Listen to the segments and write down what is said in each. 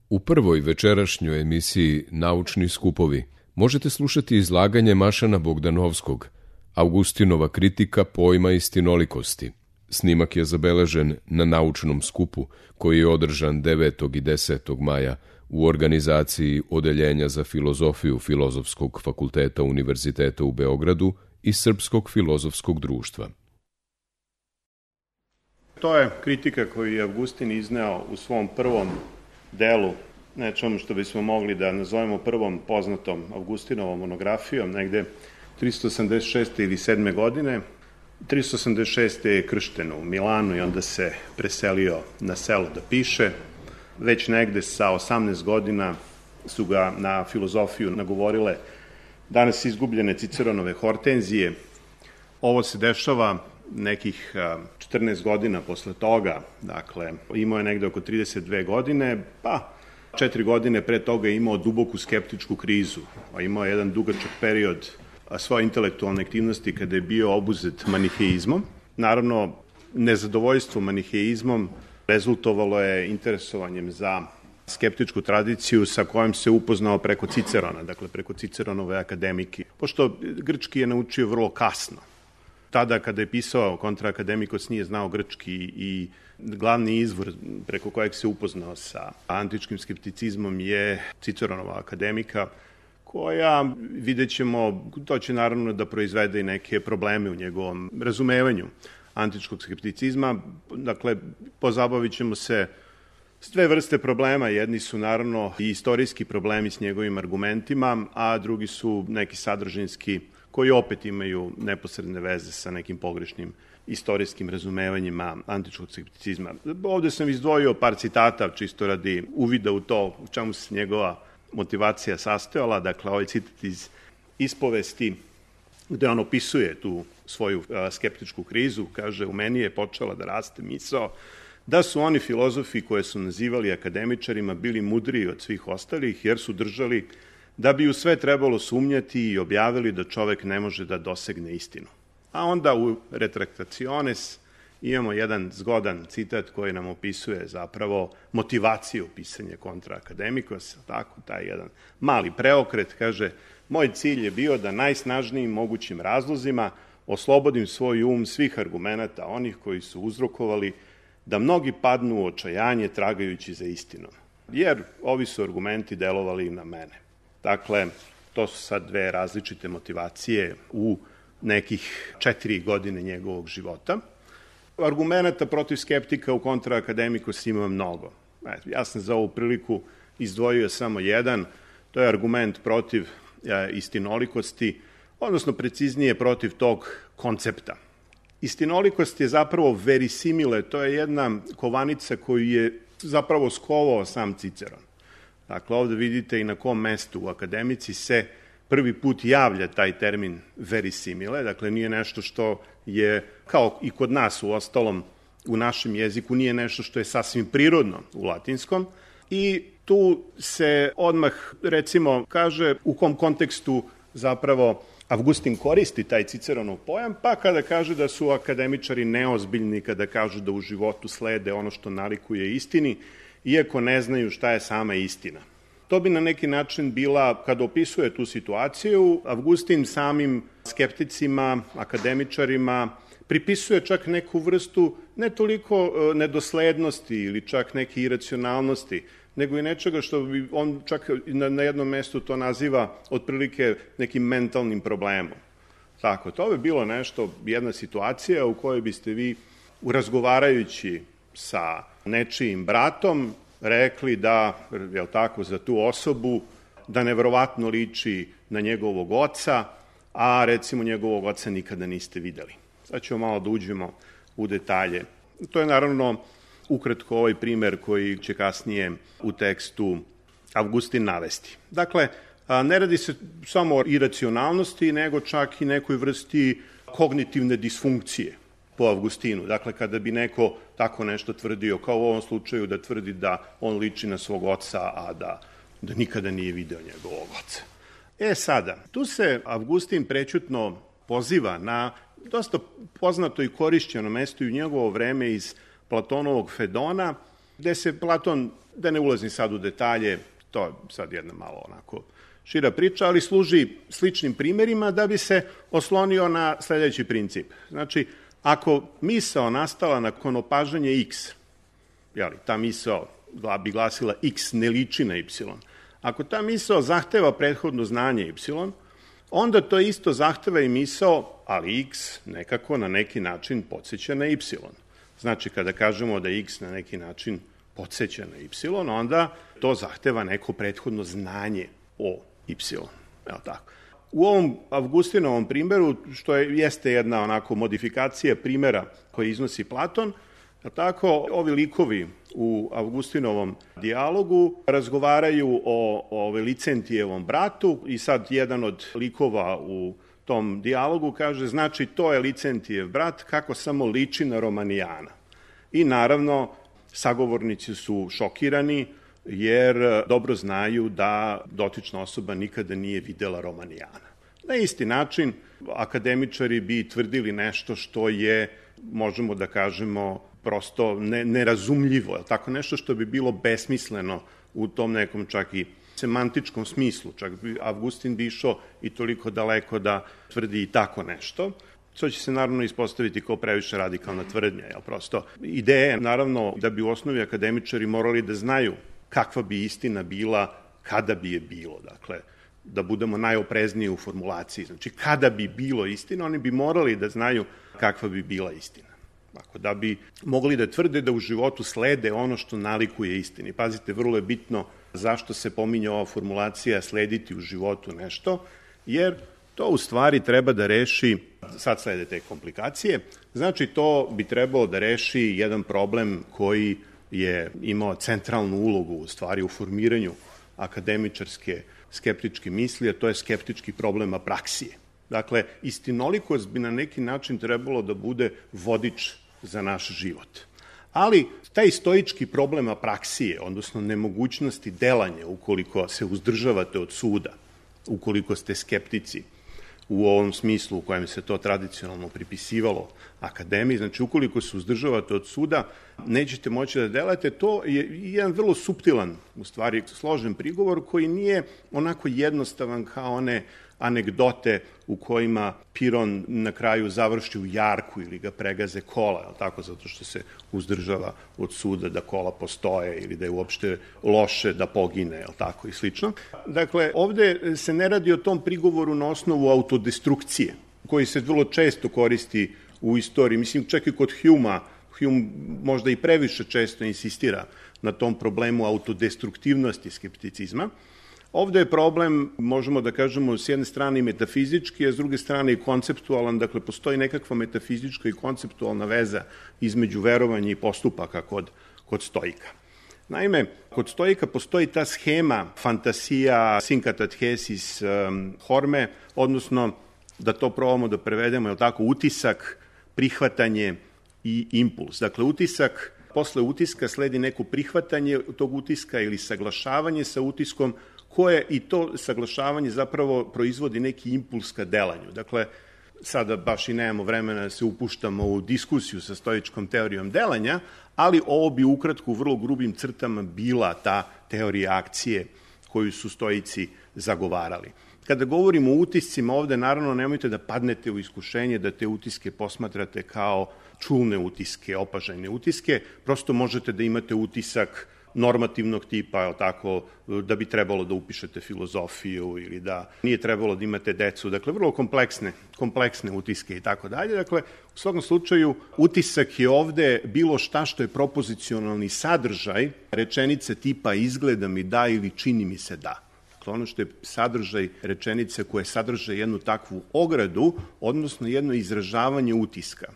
U prvoj večerašnjoj emisiji Naučni skupovi možete slušati izlaganje Mašana Bogdanovskog, Augustinova kritika pojma istinolikosti. Snimak je zabeležen na naučnom skupu koji je održan 9. i 10. maja u organizaciji Odeljenja za filozofiju Filozofskog fakulteta Univerziteta u Beogradu i Srpskog filozofskog društva. To je kritika koju je Augustin izneo u svom prvom delu, nečemu što bismo mogli da nazovemo prvom poznatom Augustinovom monografijom, negde 386. ili 7. godine. 386. je kršten u Milanu i onda se preselio na selo da piše. Već negde sa 18 godina su ga na filozofiju nagovorile danas izgubljene Ciceronove Hortenzije. Ovo se dešava nekih 14 godina posle toga, dakle, imao je negde oko 32 godine, pa 4 godine pre toga je imao duboku skeptičku krizu, a imao je jedan dugačak period svoje intelektualne aktivnosti kada je bio obuzet maniheizmom. Naravno, nezadovoljstvo maniheizmom rezultovalo je interesovanjem za skeptičku tradiciju sa kojom se upoznao preko Cicerona, dakle preko Ciceronove akademike. Pošto grčki je naučio vrlo kasno. Tada kada je pisao Kontra Academicos nije znao grčki i glavni izvor preko kojeg se upoznao sa antičkim skepticizmom je Ciceronova akademika, koja, vidjet ćemo, to će naravno da proizvede i neke probleme u njegovom razumevanju antičkog skepticizma. Dakle, pozabavit ćemo se s dve vrste problema. Jedni su naravno i istorijski problemi s njegovim argumentima, a drugi su neki sadržinski koji opet imaju neposredne veze sa nekim pogrešnim istorijskim razumevanjima antičkog skepticizma. Ovde sam izdvojio par citata čisto radi uvida u to u čemu se njegova motivacija sastojala. Dakle, ovaj citat iz Ispovesti gde on opisuje tu svoju skeptičku krizu, kaže: u meni je počela da raste misao da su oni filozofi koje su nazivali akademičarima bili mudriji od svih ostalih, jer su držali da bi u sve trebalo sumnjati i objavili da čovek ne može da dosegne istinu. A onda u Retractationes imamo jedan zgodan citat koji nam opisuje zapravo motivaciju pisanja Kontra Academicos, tako, taj jedan mali preokret, kaže: moj cilj je bio da najsnažnijim mogućim razlozima oslobodim svoj um svih argumenata onih koji su uzrokovali da mnogi padnu u očajanje tragajući za istinom, jer ovi su argumenti delovali na mene. Dakle, to su sad dve različite motivacije u nekih 4 godine njegovog života. Argumenta protiv skeptika u Kontra Academicos ima mnogo. Ja sam za ovu priliku izdvojio samo jedan, to je argument protiv istinolikosti, odnosno preciznije protiv tog koncepta. Istinolikost je zapravo verisimile, to je jedna kovanica koju je zapravo skovao sam Ciceron. Dakle, ovde vidite i na kom mestu u akademici se prvi put javlja taj termin verisimile, dakle nije nešto što je, kao i kod nas u ostalom u našem jeziku, nije nešto što je sasvim prirodno u latinskom i tu se odmah, recimo, kaže u kom kontekstu zapravo Augustin koristi taj Ciceronov pojam, pa kada kaže da su akademičari neozbiljni, kada kažu da u životu slede ono što nalikuje istini, iako ne znaju šta je sama istina. To bi na neki način bila, kada opisuje tu situaciju, Augustin samim skepticima, akademičarima, pripisuje čak neku vrstu ne toliko nedoslednosti ili čak neke iracionalnosti, nego i nečega što bi on čak na jednom mestu to naziva otprilike nekim mentalnim problemom. Tako, to bi bilo nešto, jedna situacija u kojoj biste vi, razgovarajući sa nečijim bratom, rekli da, jel tako, za tu osobu, da neverovatno liči na njegovog oca, a recimo njegovog oca nikada niste videli. Sad ćemo malo da uđemo u detalje. To je naravno ukratko ovaj primer koji će kasnije u tekstu Augustin navesti. Dakle, ne radi se samo o iracionalnosti, nego čak i nekoj vrsti kognitivne disfunkcije po Augustinu. Dakle, kada bi neko tako nešto tvrdio, kao u ovom slučaju da tvrdi da on liči na svog oca, a da nikada nije video njegovog oca. Sada, tu se Augustin prećutno poziva na dosta poznato i korišćeno mesto i u njegovo vreme iz Platonovog Fedona, gde se Platon, da ne ulazim sad u detalje, to je sad jedna malo onako šira priča, ali služi sličnim primerima da bi se oslonio na sledeći princip. Znači, ako misao nastala nakon opažanja x, ta misao bi glasila x ne liči na y, ako ta misao zahteva prethodno znanje y, onda to isto zahteva i misao, ali x nekako na neki način podsjeća na y. Znači, kada kažemo da x na neki način podsjeća na y, onda to zahteva neko prethodno znanje o y. Evo tako. U ovom Avgustinovom primeru, što jeste jedna onako modifikacija primera koji iznosi Platon, tako, ovi likovi u Avgustinovom dijalogu razgovaraju o Licentijevom bratu i sad jedan od likova u tom dijalogu kaže, znači to je Licentijev brat, kako samo liči na Romanijana. I naravno, sagovornici su šokirani jer dobro znaju da dotična osoba nikada nije videla Romanijana. Na isti način, akademičari bi tvrdili nešto što je, možemo da kažemo, prosto nerazumljivo, tako nešto što bi bilo besmisleno u tom nekom čak i semantičkom smislu. Čak bi Avgustin bi išao i toliko daleko da tvrdi i tako nešto. To će se naravno ispostaviti kao previše radikalna tvrdnja. Prosto ideja je naravno da bi u osnovi akademičari morali da znaju kakva bi istina bila kada bi je bilo. Dakle, da budemo najoprezniji u formulaciji. Znači, kada bi bilo istina, oni bi morali da znaju kakva bi bila istina. Tako da bi mogli da tvrde da u životu slede ono što nalikuje istini. Pazite, vrlo je bitno zašto se pominje ova formulacija slediti u životu nešto, jer to u stvari treba da reši, sad slede te komplikacije, znači to bi trebalo da reši jedan problem koji je imao centralnu ulogu u stvari u formiranju akademičarske skeptičke misli, a to je skeptički problem apraksije. Dakle, istinolikost bi na neki način trebalo da bude vodič za naš život. Ali taj stoički problem apraksije, odnosno nemogućnosti delanja ukoliko se uzdržavate od suda, ukoliko ste skeptici u ovom smislu u kojem se to tradicionalno pripisivalo akademiji, znači ukoliko se uzdržavate od suda, nećete moći da delate, to je jedan vrlo suptilan, u stvari složen prigovor koji nije onako jednostavan kao one anegdote u kojima Piron na kraju završi u jarku ili ga pregaze kola, tako, zato što se uzdržava od suda da kola postoje ili da je uopšte loše da pogine, tako i slično. Dakle, ovde se ne radi o tom prigovoru na osnovu autodestrukcije, koji se vrlo često koristi u istoriji. Mislim, čak i kod Hume možda i previše često insistira na tom problemu autodestruktivnosti skepticizma. Ovde je problem, možemo da kažemo, s jedne strane metafizički, a s druge strane i konceptualan, dakle postoji nekakva metafizička i konceptualna veza između verovanja i postupaka kod stoika. Naime, kod stoika postoji ta schema fantasija, synkatathesis, horme, odnosno, da to probamo da prevedemo, je tako, utisak, prihvatanje i impuls. Dakle, utisak, posle utiska sledi neko prihvatanje tog utiska ili saglašavanje sa utiskom, koje i to saglašavanje zapravo proizvodi neki impuls ka delanju. Dakle, sada baš i nemamo vremena da se upuštamo u diskusiju sa stoičkom teorijom delanja, ali ovo bi ukratko u vrlo grubim crtama bila ta teorija akcije koju su stoici zagovarali. Kada govorimo o utiscima ovde, naravno nemojte da padnete u iskušenje da te utiske posmatrate kao čulne utiske, opažajne utiske, prosto možete da imate utisak normativnog tipa, tako, da bi trebalo da upišete filozofiju ili da nije trebalo da imate decu, dakle, vrlo kompleksne utiske i tako dalje. Dakle, u svakom slučaju, utisak je ovde bilo šta što je propozicionalni sadržaj rečenice tipa izgleda mi da ili čini mi se da. Dakle, ono što je sadržaj rečenice koje sadrže jednu takvu ogradu, odnosno jedno izražavanje utiska.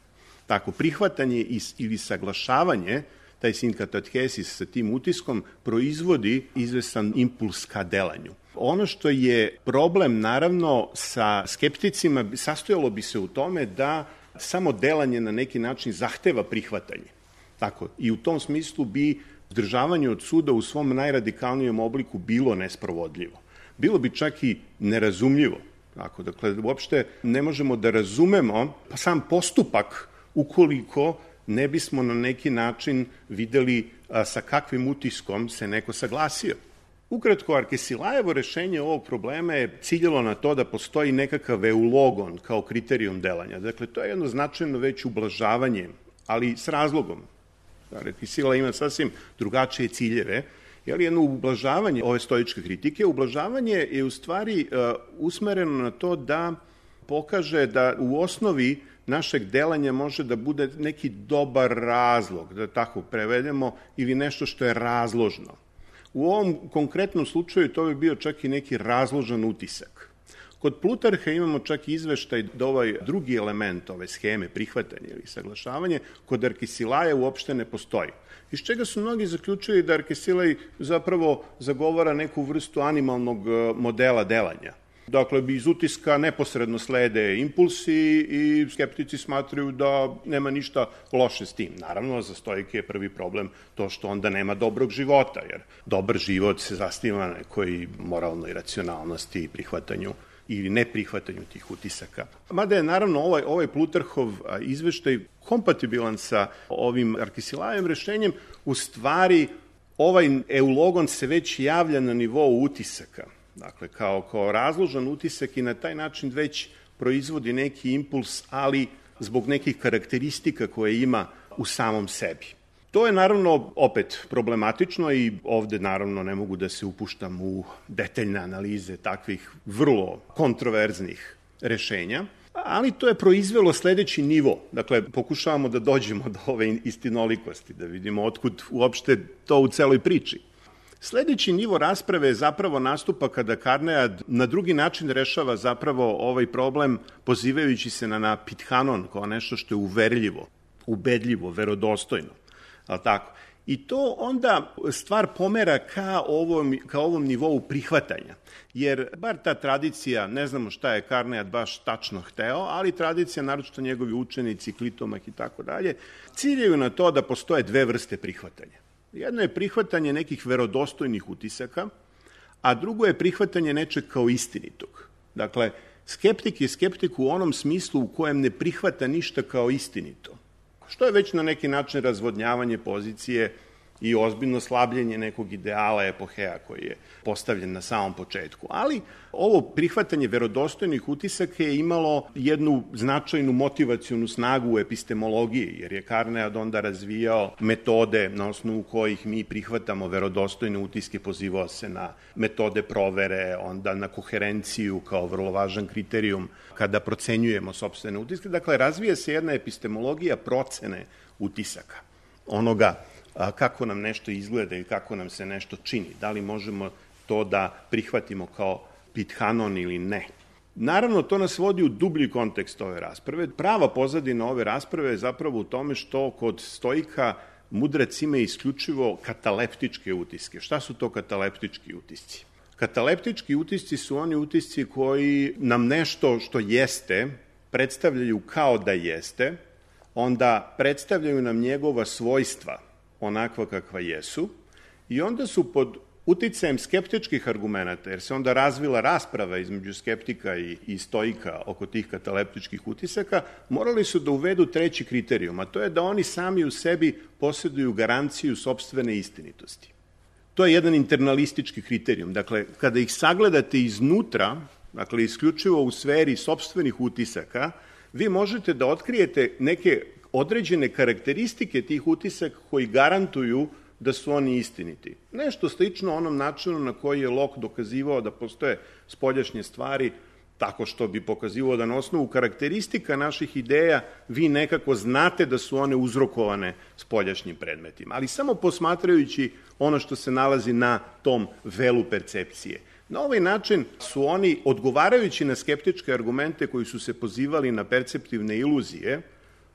Tako, prihvatanje ili saglašavanje, taj synkatathesis sa tim utiskom, proizvodi izvestan impuls ka delanju. Ono što je problem, naravno, sa skepticima, sastojalo bi se u tome da samo delanje na neki način zahteva prihvatanje. Tako, i u tom smislu bi uzdržavanje od suda u svom najradikalnijem obliku bilo nesprovodljivo. Bilo bi čak i nerazumljivo. Tako, dakle, uopšte ne možemo da razumemo sam postupak ukoliko ne bismo na neki način videli sa kakvim utiskom se neko saglasio. Ukratko, Arkesilajevo rešenje ovog problema je ciljalo na to da postoji nekakav eulogon kao kriterijum delanja. Dakle, to je jedno značajno već ublažavanje, ali s razlogom. Arkesila ima sasvim drugačije ciljeve, ali jedno ublažavanje ove stoičke kritike. Ublažavanje je u stvari usmereno na to da pokaže da u osnovi našeg delanja može da bude neki dobar razlog, da tako prevedemo, ili nešto što je razložno. U ovom konkretnom slučaju to bi bio čak i neki razložan utisak. Kod Plutarha imamo čak i izveštaj da ovaj drugi element ove scheme, prihvatanje ili saglašavanje, kod Arkesilaja uopšte ne postoji. Iz čega su mnogi zaključili da Arkesilaj zapravo zagovara neku vrstu animalnog modela delanja. Dakle, iz utiska neposredno slede impulsi i skeptici smatraju da nema ništa loše s tim. Naravno, za stoike je prvi problem to što onda nema dobrog života, jer dobar život se zasniva na nekoj moralnoj racionalnosti i prihvatanju ili neprihvatanju tih utisaka. Mada je naravno ovaj Plutarhov izveštaj kompatibilan sa ovim Arkesilajem rešenjem, u stvari ovaj eulogon se već javlja na nivou utisaka. Dakle, kao razložan utisak i na taj način već proizvodi neki impuls, ali zbog nekih karakteristika koje ima u samom sebi. To je naravno opet problematično i ovde naravno ne mogu da se upuštam u detaljne analize takvih vrlo kontroverznih rešenja, ali to je proizvelo sledeći nivo. Dakle, pokušavamo da dođemo do ove istinolikosti, da vidimo otkud uopšte to u celoj priči. Sledeći nivo rasprave zapravo nastupa kada Karnead na drugi način rešava zapravo ovaj problem pozivajući se na Pithanon kao nešto što je uverljivo, ubedljivo, verodostojno. Tako? I to onda stvar pomera ka ovom nivou prihvatanja. Jer bar ta tradicija, ne znamo šta je Karnead baš tačno hteo, ali tradicija, naročito njegovi učenici, Klitomah i tako dalje, ciljaju na to da postoje dve vrste prihvatanja. Jedno je prihvatanje nekih verodostojnih utisaka, a drugo je prihvatanje nečeg kao istinitog. Dakle, skeptik je skeptik u onom smislu u kojem ne prihvata ništa kao istinito, što je već na neki način razvodnjavanje pozicije i ozbiljno slabljenje nekog ideala epoheja koji je postavljen na samom početku. Ali ovo prihvatanje verodostojnih utisaka je imalo jednu značajnu motivacionu snagu u epistemologiji, jer je Karnead onda razvijao metode na osnovu kojih mi prihvatamo verodostojne utiske, pozivao se na metode provere, onda na koherenciju kao vrlo važan kriterijum kada procenjujemo sopstvene utiske. Dakle, razvija se jedna epistemologija procene utisaka, onoga kako nam nešto izgleda i kako nam se nešto čini. Da li možemo to da prihvatimo kao Pithanon ili ne. Naravno, to nas vodi u dublji kontekst ove rasprave. Prava pozadina ove rasprave je zapravo u tome što kod stoika mudrac ima isključivo kataleptičke utiske. Šta su to kataleptički utisci? Kataleptički utisci su oni utisci koji nam nešto što jeste predstavljaju kao da jeste, onda predstavljaju nam njegova svojstva onakva kakva jesu, i onda su pod uticajem skeptičkih argumenta, jer se onda razvila rasprava između skeptika i stoika oko tih kataleptičkih utisaka, morali su da uvedu treći kriterijum, a to je da oni sami u sebi posjeduju garanciju sopstvene istinitosti. To je jedan internalistički kriterijum. Dakle, kada ih sagledate iznutra, dakle, isključivo u sferi sopstvenih utisaka, vi možete da otkrijete neke određene karakteristike tih utisaka koji garantuju da su oni istiniti. Nešto slično onom načinu na koji je Locke dokazivao da postoje spoljašnje stvari, tako što bi pokazivao da na osnovu karakteristika naših ideja vi nekako znate da su one uzrokovane spoljašnjim predmetima, ali samo posmatrajući ono što se nalazi na tom velu percepcije. Na ovaj način su oni, odgovarajući na skeptičke argumente koji su se pozivali na perceptivne iluzije,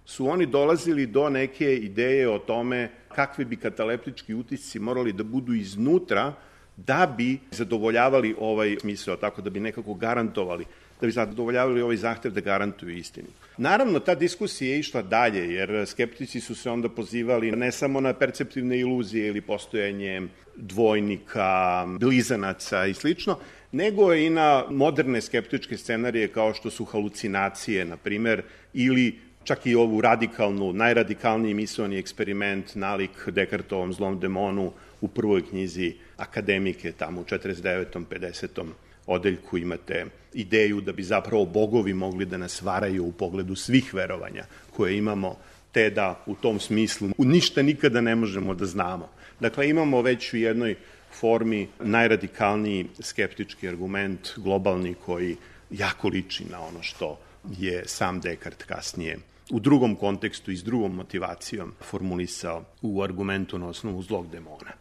su oni dolazili do neke ideje o tome kakvi bi kataleptički utisci morali da budu iznutra da bi zadovoljavali ovaj smisao, tako da bi nekako garantovali, da bi zadovoljavali ovaj zahtev da garantuju istinu. Naravno, ta diskusija je išla dalje, jer skeptici su se onda pozivali ne samo na perceptivne iluzije ili postojanje dvojnika, blizanaca i slično, nego i na moderne skeptičke scenarije kao što su halucinacije, na primer, ili čak i ovu radikalnu, najradikalniji misaoni eksperiment nalik Descartovom zlom demonu u prvoj knjizi Akademike, tamo u 49. 50. odeljku imate ideju da bi zapravo bogovi mogli da nas varaju u pogledu svih verovanja koje imamo, te da u tom smislu ništa nikada ne možemo da znamo. Dakle, imamo već u jednoj formi najradikalniji skeptički argument, globalni, koji jako liči na ono što je sam Descartes kasnije u drugom kontekstu i s drugom motivacijom formulisao u argumentu na osnovu zlog demona.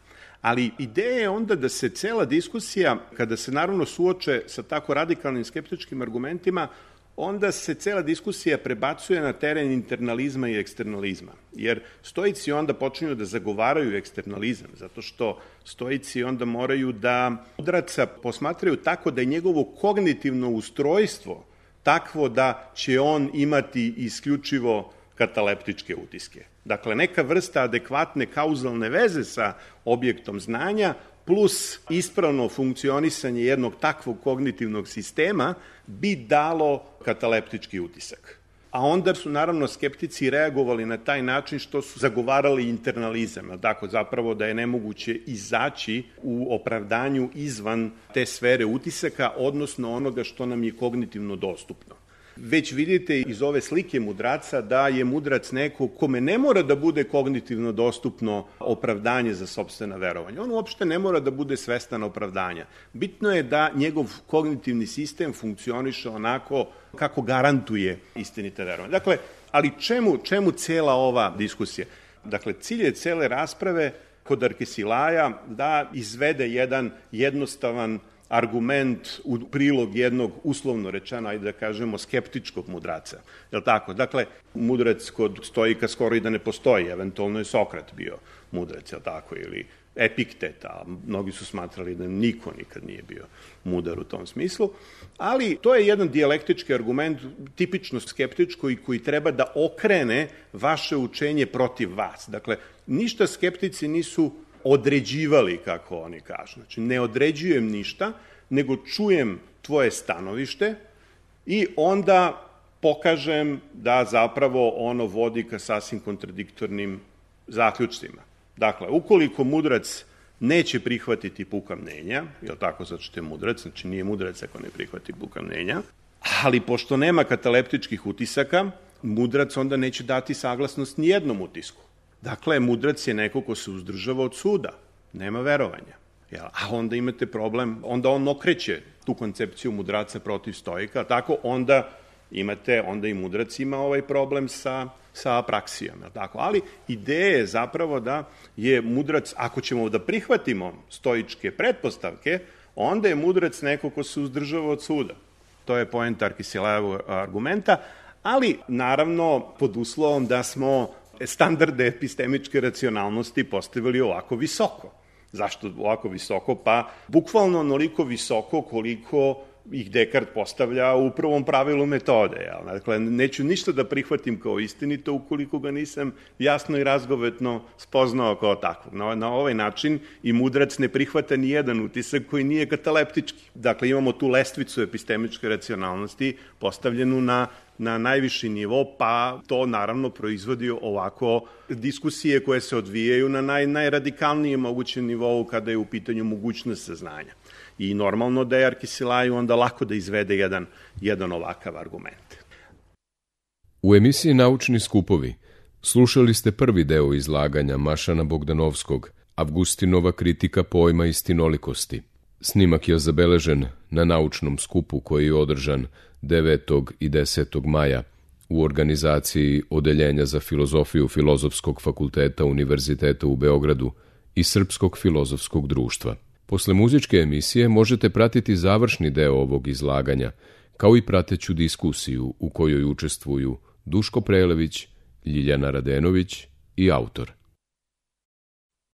Ali ideja je onda da se cela diskusija, kada se naravno suoče sa tako radikalnim skeptičkim argumentima, onda se cela diskusija prebacuje na teren internalizma i eksternalizma. Jer stoici onda počinju da zagovaraju eksternalizam, zato što stoici onda moraju da mudraca posmatraju tako da je njegovo kognitivno ustrojstvo takvo da će on imati isključivo kataleptičke utiske. Dakle, neka vrsta adekvatne kauzalne veze sa objektom znanja plus ispravno funkcionisanje jednog takvog kognitivnog sistema bi dalo kataleptički utisak. A onda su naravno skeptici reagovali na taj način što su zagovarali internalizam, tako zapravo da je nemoguće izaći u opravdanju izvan te sfere utisaka, odnosno onoga što nam je kognitivno dostupno. Već vidite iz ove slike mudraca da je mudrac neko kome ne mora da bude kognitivno dostupno opravdanje za sopstvena verovanja. On uopšte ne mora da bude svestan opravdanja. Bitno je da njegov kognitivni sistem funkcioniše onako kako garantuje istinite verovanje. Dakle, ali čemu cela ova diskusija? Dakle, cilj je cele rasprave kod Arkesilaja da izvede jedan jednostavan argument u prilog jednog, uslovno rečeno, ajde da kažemo, skeptičkog mudraca. Je li tako? Dakle, mudrac kod stoika skoro i da ne postoji, eventualno je Sokrat bio mudrac, je li tako, ili Epiktet, a mnogi su smatrali da niko nikad nije bio mudar u tom smislu, ali to je jedan dijalektički argument, tipično skeptičko i koji treba da okrene vaše učenje protiv vas. Dakle, ništa skeptici nisu određivali, kako oni kažu. Znači, ne određujem ništa, nego čujem tvoje stanovište i onda pokažem da zapravo ono vodi ka sasvim kontradiktornim zaključcima. Dakle, ukoliko mudrac neće prihvatiti puka mnenja, je li tako, zato što je mudrac, znači nije mudrac ako ne prihvati puka mnenja, ali pošto nema kataleptičkih utisaka, mudrac onda neće dati saglasnost nijednom utisku. Dakle, mudrac je neko ko se uzdržava od suda, nema verovanja. A onda imate problem, onda on okreće tu koncepciju mudraca protiv stoika, tako onda i mudrac ima ovaj problem sa apraksijom. Tako? Ali ideja je zapravo da je mudrac, ako ćemo da prihvatimo stoičke pretpostavke, onda je mudrac neko ko se uzdržava od suda. To je poenta Arkesilajevog argumenta, ali naravno pod uslovom da smo standarde epistemičke racionalnosti postavili ovako visoko. Zašto ovako visoko? Pa bukvalno onoliko visoko koliko ih Descartes postavlja u prvom pravilu metode. Dakle, neću ništa da prihvatim kao istinito ukoliko ga nisam jasno i razgovetno spoznao kao takvog. Na ovaj način i mudrac ne prihvata ni jedan utisak koji nije kataleptički. Dakle, imamo tu lestvicu epistemičke racionalnosti postavljenu na najviši nivo, pa to naravno proizvodi ovako diskusije koje se odvijaju na najradikalnijem mogućem nivou kada je u pitanju mogućnost saznanja. I normalno da je Arkesilaju onda lako da izvede jedan ovakav argument. U emisiji Naučni skupovi slušali ste prvi deo izlaganja Mašana Bogdanovskog, Avgustinova kritika pojma istinolikosti. Snimak je zabeležen na naučnom skupu koji je održan 9. i 10. maja u organizaciji Odeljenja za filozofiju Filozofskog fakulteta Univerziteta u Beogradu i Srpskog filozofskog društva. Posle muzičke emisije možete pratiti završni deo ovog izlaganja, kao i prateću diskusiju u kojoj učestvuju Duško Prelević, Ljiljana Radenović i autor.